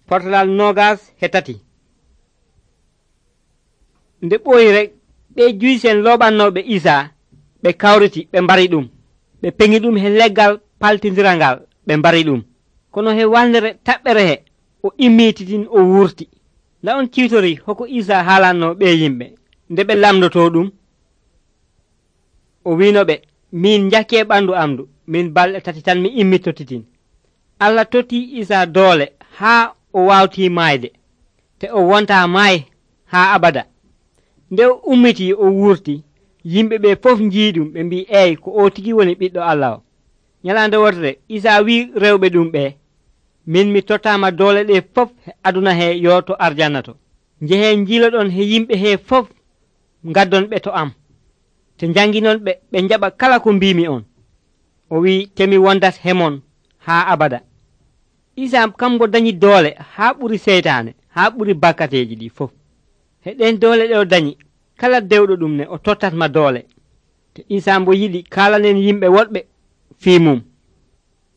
Portalal 23 nde ɓooyi rek ɓe juysen looɓannooɓe Isaa ɓe kawriti ɓe mbari ɗum ɓe peŋi ɗum he leggal paltidirangal ɓe mbari ɗum kono he wandere taɓɓere he o immititin o wurti. Nda on ciwtori hoko Isaa haalanno ɓe yimɓe nde ɓe lamdoto ɗum. O wino ɓe, min jakki e ɓandu amdu min balɗe 3 tan mi immitotitin. Allah totti Isaa doole haa o wawti maayde te o wonta maayi haa abada. Nde o ummiti o wurti yimɓe ɓe fof jiiɗum ɓe mbi eyi ko o tigi woni ɓiɗɗo Allah o. Nyalande wotere Isaa wi rewɓe ɗum ɓe, min mi tottama doole ɗe fof he aduna he yo to arjanna to. Njehen jiiloɗon he yimɓe he fof ngaddon ɓe to am te janginon ɓe ɓe jaɓa kala ko mbimi on. O wi temi wondat hemon haa abada. Isaa kamgo dañi doole haa ɓuri seytaane haa ɓuri bakkateji ɗi fof. He ɗen doole ɗe o dañi kala dewɗo ɗum ne o tottatma doole te Isaa mbo yiɗi kaalanen yimɓe woɗɓe fii mum.